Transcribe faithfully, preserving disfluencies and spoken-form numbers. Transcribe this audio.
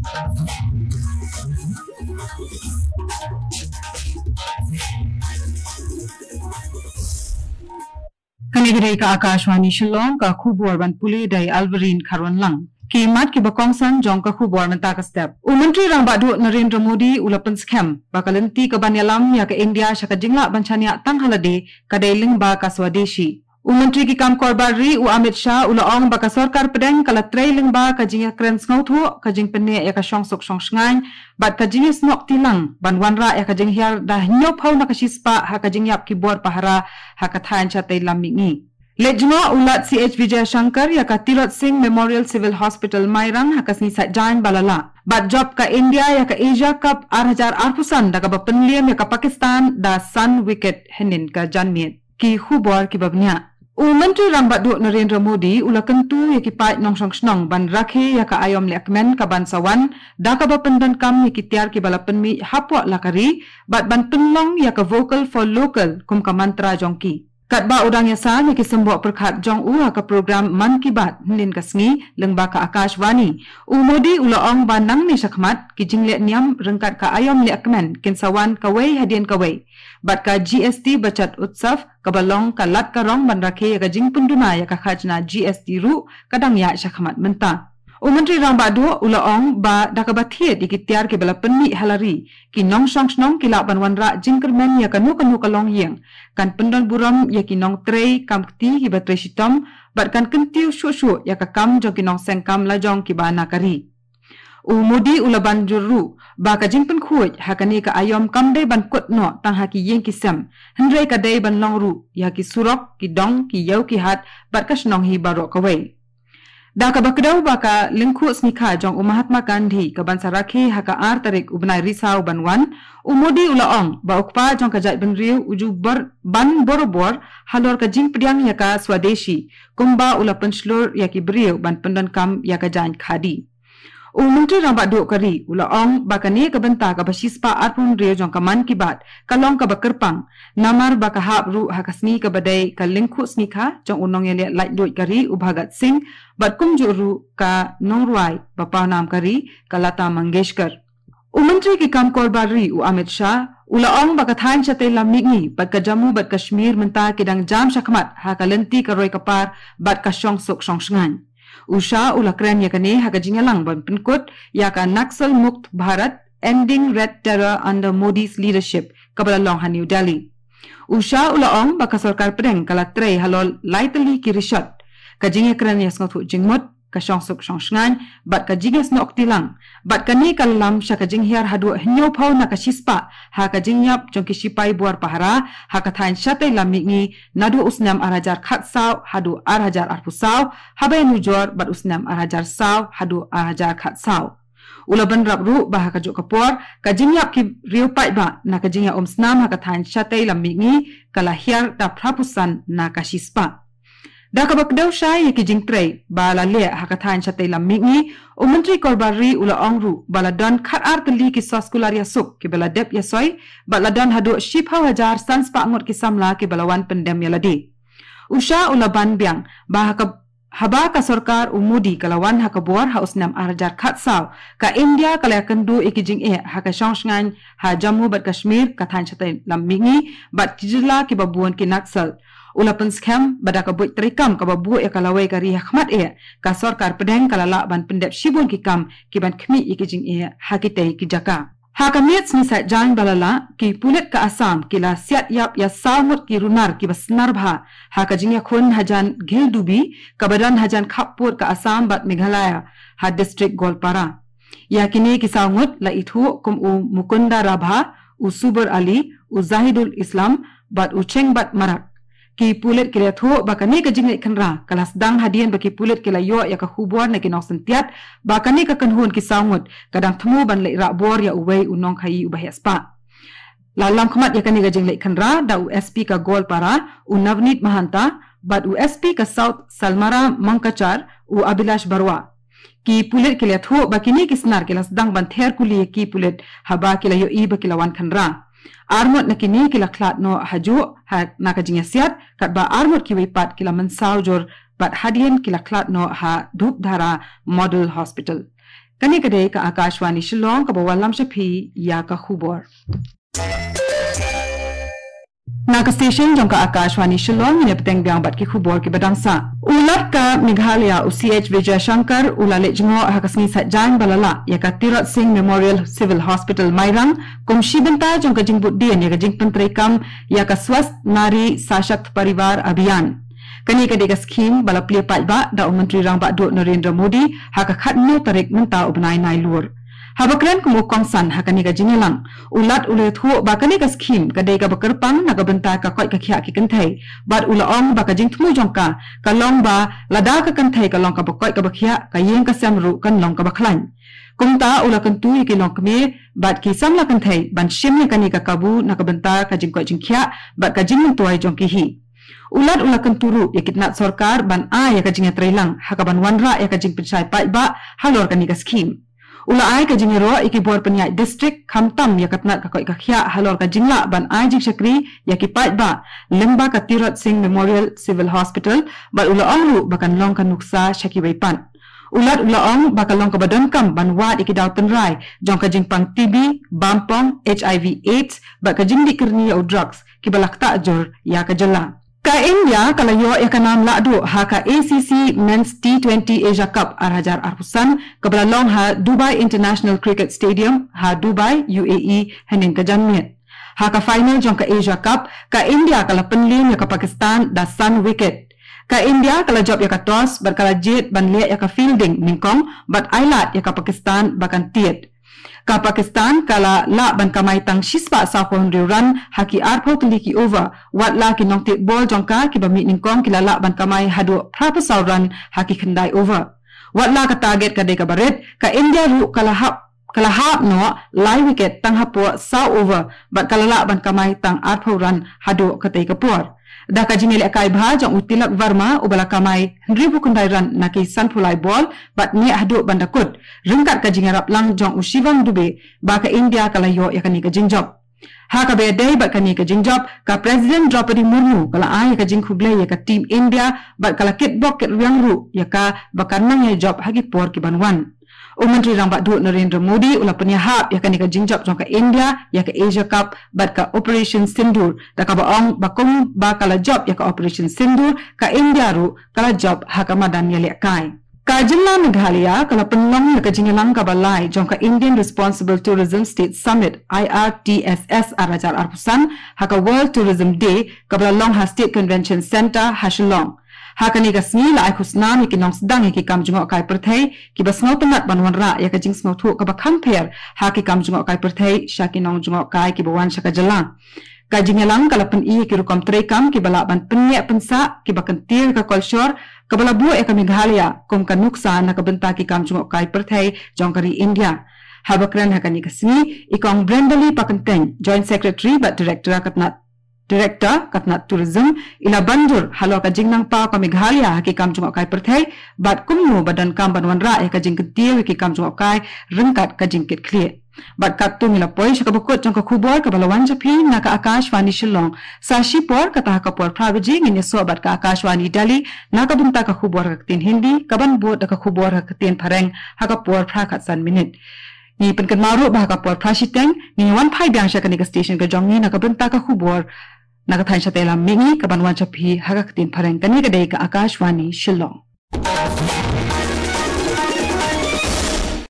Kane ka dei ka Akashvani Shillong, ka khubor ban pule da i Alverine Kharwanlang. Ki mat kiba kongsan jong ka khubor mynta ka step. U Myntri Rangbah Duh Narendra Modi u la pynskhem ba ka lynti ka ban ïalam ïa ka India sha ka jinglah ban shaniah tang ha lade ka dei lyngba ka Swadeshi. U Myntri ki kam kor bar ri u Amit Shah u la ong ba ka sorkar pdeng ka la trei lyngba ka jingïakren sngewthuh, ka jingpynneh ïa ka shongsuk shongshngaiñ bad ka jingïasnoh kti lang ban wanrah ïa ka jinghiar da hynñiewphew na ka shispah ha ka jingïap ki bor pahara ha ka thaiñ shatei lam mihngi. Leit jngoh u Lat C H Vijayashankar ïa ka Tirot Singh Memorial Civil Hospital Mairang ha ka sngi Saitjaiñ ba la lah. Bad jop ka India ïa ka Asia Cup ar hajar arphew san da kaba pynliem ïa ka Pakistan da san wicket hynnin ka janmiet. Ki khubor kiba bniah. U Myntri Rangbah Duh Narendra Modi u la kyntu ïa ki paid nongshong shnong ban rakhe ïa ka aïom lehkmen ka ban sa wan da kaba pyndonkam ïa ki tiar kiba la pynmih hapoh la ka ri bad ban pynlong ïa ka Vocal for Local kum ka mantra jong ki. Katba u dang ïasam ïa ki symboh pyrkhat jong u ha ka program Mann Ki Baat hynnin ka sngi lyngba ka Akashvani, u Modi u la ong ba nangne shakhmat ki jingleh niam ryngkat ka aïom lehkmen kin sa wan kawei hadien kawei. Bad ka G S T Bachat Utsav kaba long ka lad ka rong ban rakhe ïa ka jingpynduna ïa ka khajna G S T ruh ka dang ïaid shakhmat mynta. U Myntri Rangbah Duh u la ong ba da kaba thied ïa ki tiar kiba la pynmih ha la ri, ki nongshong shnong ki lah ban wanrah jingkyrmen ïa kano kano ka longïing, kan pyndon burom ïa ki nongtrei kam kti kiba trei shitom bad kan kyntiew shuh shuh ïa ka kam jong ki nongseng kam lajong kiba na ka ri. U Modi u la ban jur ruh ba ka jingpynkhuid ha kane ka aïom kam dei ban kut noh tang ha ki ïing ki sem, hynrei ka dei ban long ruh ïa ki surok, ki dong, ki ïew ki hat bad ka shnong hi baroh kawei. Da kaba kdew ba ka lyngkhuh sngi kha jong u Mahatma Gandhi ka ban sa rakhe ha ka ar tarik u bnai Risaw ban wan, u Modi u la ong ba u kpa jong ka jaitbynriew u ju bor ban borabor halor ka jingpdiang ïa ka Swadeshi kumba u la pynshlur ïa ki briew ban pyndonkam ïa ka jaiñ khadi. U Myntri Rangbah Duh ka ri u la ong ba kane ka bynta kaba shispah arphew hynriew jong ka Mann Ki Baat ka long kaba kyrpang, namar ba ka hap ruh ha ka sngi kaba dei ka lyngkhuh sngi kha jong u nongïaleh laitluid ka ri u Bhagat Singh bad kumjuh ruh ka nongrwai ba pawnam ka ri ka Lata Mangeshkar. U Myntri ki kam kor bar ri u Amit Shah u la ong ba ka thaiñ shatei lam mihngi bad ka Jammu bad Kashmir mynta ki dang jam shakhmat ha ka lynti ka roi ka par bad ka shongsuk shongshngaiñ. U Shah u la kren ïa kane ha ka jingïalang ban pynkut ïa ka Naxal Mukt Bharat, Ending Red Terror Under Modi's Leadership kaba la long ha New Delhi. U Shah u la ong ba ka sorkar pdeng ka la trei halor lai tylli ki rishot, ka jingïakren ïasngewthuh jingmut, ka shongsuk shongshngaiñ bad ka jingïasnoh kti lang, bad kane ka lam sha ka jinghiar haduh hynñiewphew na ka shispah ha ka jingïap jong ki shipai bor pahara ha ka thaiñ shatei lam mihngi naduh u snem ar hajar khatsaw haduh ar hajar arphew saw, haba ïanujor bad u snem ar hajar saw haduh ar hajar khatsaw. U la bynrap ruh ba ha kajuh ka por ka jingïap ki riew paidbah na ka jingïaumsnam ha ka thaiñ shatei lam mihngi ka la hiar da phraphew san na ka shispah. Da kaba kdew shai ïa ki jingtrei ba la leh ha ka thaiñ shatei lam mihngi, u Myntri kor bar ri u la ong ruh ba la don khatar tylli ki soskular ïasuk kiba la dep ïasoi bad la don haduh shiphew hajar sanspah ngut ki samla kiba la wan pyndem ïa lade. U Shah u la ban biang ba ha ka, haba ka sorkar u Modi ka la wan ha ka bor ha u snem ar hajar khatsaw, ka India ka la ïakynduh ïa ki jingeh ha ka shongshngaiñ ha Jammu bad Kashmir, ka thaiñ shatei lam mihngi bad ki jylla kiba bun ki Naxal. U la pynskhem ba da ka buit treikam kaba buh ïa ka lawei ka ri ha khmat eh, ka sorkar pdeng ka la lah ban pyndep shibun ki kam ki ban khmih ïa ki jingeh ha kitei ki jaka. Ha ka miet sngi Saitjaiñ ba la lah, ki pulit ka Assam ki la siat ïap ïa saw ngut ki runar kiba snar bha ha ka jingïakhun hajan Gheldubi kaba don hajan khappud ka Assam bad Meghalaya ha district Goalpara. Ïa kine ki saw ngut la ithuh kum u Mukunda Rabha, u Subur Ali, u Zahidul Islam bad u Chengbat Marak. Ki pulit ki la ïathuh ba kane ka jingleit khynra ka la sdang hadien ba ki pulit ki la ïoh ïa ka khubor na ki nongsyntiat ba kane ka kynhun ki saw ngut ka dang thmu ban leit rah bor ïa uwei u nongkhaïi uba heh spah. La lam khmat ïa kane ka jingleit khynra da u S P ka Goalpara, u Navneet Mahanta, bad u S P ka South Salmara Mangkachar, u Abhilash Barua. Ki pulit ki la ïathuh ba kine ki snar ki la sdang ban ther kuli ïa ki pulit haba ki la ïohi ba ki la wan khynra. Ar ngut na kine ki la khlad noh hajuh ha na ka jingïasiat, katba ar ngut kiwei pat ki la mynsaw jur bad hadien ki la khlad noh ha Dhupdhara Model Hospital. Kane ka dei ka Akashvani Shillong kaba wallam sha phi ïa ka khubor. Na ka station jong ka Akashvani Shillong, ngin ïa bteng biang bad ki khubor kiba dang sah. U Lat ka Meghalaya, u C H Vijayashankar, u la leit jngoh ha ka sngi Saitjaiñ ba la lah ïa ka Tirot Singh Memorial Civil Hospital Mairang kum shi bynta jong ka jingbud dien ïa ka jingpyntreikam ïa ka Swasth Nari Sashakt Parivar Abhiyan. Kane ka dei ka skhim ba la plie paidbah da u Myntri Rangbah Duh Narendra Modi ha ka khatnïew tarik mynta u bnai Nailur. Haba kren kum u kongsan ha kane ka jingïalang, u Lat u la ïathuh ba kane ka skhim ka dei kaba kyrpang na ka bynta ka koit ka khiah ki kynthei, bad u la ong ba ka jingthmu jong ka ka long ba lada ka kynthei ka long kaba koit kaba khiah, ka ïing ka sem ruh kan long kaba khlaiñ. Kumta u la kyntu ïa ki longkmie bad ki samla kynthei ban shim ïa kane ka kabu na ka bynta ka jingkoit jingkhiah bad ka jingmyntoi jong ki hi. U Lat u la kyntu ruh ïa ki tnat sorkar ban ai ïa ka jingïatreilang ha kaban wanrah ïa ka jingpynshai paidbah halor kane ka skhim. U la ai ka jingïaroh ïa ki bor pynïaid district, khamtam ïa ka tnat ka koit ka khiah halor ka jinglah ban ai jingshakri ïa ki paidbah lyngba ka Tirot Singh Memorial Civil Hospital, bad u la ong ruh ba kan long ka nuksa sha kiwei pat. U Lat u la ong ba ka long kaba donkam ban wad ïa ki daw tynrai jong ka jingpang T B, bampong, H I V AIDS bad ka jingdih kyrni ïa u drugs kiba la ktah jur ïa ka jylla. Ka India ka la ïoh ïa ka nam lahduh ha ka A C C Men's T twenty Asia Cup ar hajar arphew san kaba la long ha Dubai International Cricket Stadium ha Dubai, U A E, hynnin ka janmiet. Ha ka final jong ka Asia Cup, ka India ka la pynliem ïa ka Pakistan da san wicket. Ka India ka la jop ïa ka toss bad ka la jied ban leh ïa ka fielding nyngkong bad ailad ïa ka Pakistan ba kan tied. Ka Pakistan ka la lah ban kamai tang shispah sawphew hynriew run ha ki arphew tylli ki over, watla ki nongtied bol jong ka kiba mih nyngkong ki la lah ban kamai haduh phraphew saw run ha ki khyndai over. Watla ka target ka dei kaba rit, ka India ruh ka la hap ka la hap noh lai wicket tang hapoh saw over bad ka la lah ban kamai tang arphew run haduh katei ka por. Da ka jingïalehkai bha jong u Tilak Varma uba la kamai hynriewphew khyndai run na ki sanphew lai bol bad neh haduh ban da kut, ryngkat ka jingïarap lang jong u Shivam Dube, ba ka India ka la ïoh ïa kane ka jingjop. Ha kaba ïadei bad kane ka jingjop, ka President Droupadi Murmu ka la ai ïa ka jingkhublei ïa ka team India bad ka la kitbok kitrwiang ruh ïa ka ba kan nang ïa jop ha ki por ki ban wan. U Myntri Rangbah Duh Narendra Modi u la pynïahap ïa kane ka jingjop jong ka India ïa ka Asia Cup bad ka Operation Sindoor, da kaba ong ba kumba ka la jop ïa ka Operation Sindoor, ka India ruh ka la jop ha ka madan ïalehkai. Ka jylla Meghalaya ka la pynlong ïa ka jingïalang kaba lai jong ka Indian Responsible Tourism State Summit, I R T S S, ar hajar arphew san ha ka World Tourism Day kaba la long ha State Convention Centre ha Shillong. Ha kane ka sngi la ai khusnam ïa ki nongsdang ïa ki kam jngohkai pyrthei kiba sngewtynnat ban wanrah ïa ka jingsngewthuh kaba kham pher ha ki kam jngohkai pyrthei sha ki nongjngohkai kiba wan sha ka jylla. Ka jingïalang ka la pyni ïa ki rukom treikam kiba lah ban pynïaid pynsah, kiba kyntiew ïa ka kolshor, kaba la buh ïa ka Meghalaya kum ka nuksa na ka bynta ki kam jngohkai pyrthei jong ka ri India. Haba kren ha kane ka sngi, i Kong Brendali Pakyntein, Joint Secretary bad Director ka tnat Director ka tnat Tourism, i la ban jur halor ka jingnang paw ka Meghalaya ha ki kam jngohkai pyrthei bad kumno ba donkam ban wanrah ïa ka jingkyntiew ïa ki kam jngohkai ryngkat ka jingkitkhlieh. Bad katto ngi la poi sha kaba kut jong ka khubor kaba la wan sha phi na ka Akashvani Shillong. Sa shipor, kata ha ka por phra baje ngin ïasoh bad ka Akashvani Delhi na ka bynta ka khubor ha ka ktien Hindi, kaban bud da ka khubor ha ka ktien Phareng ha ka por phra khatsan minit. Ngi pynkynmaw ruh ba ha ka por phra shiteng ngin wan phai biang sha kane ka station ka jong ngi na ka bynta ka khubor na ka thaiñ shatei lam mihngi kaban wan sha phi ha ka ktien Phareng. Kane ka dei ka Akashvani Shillong.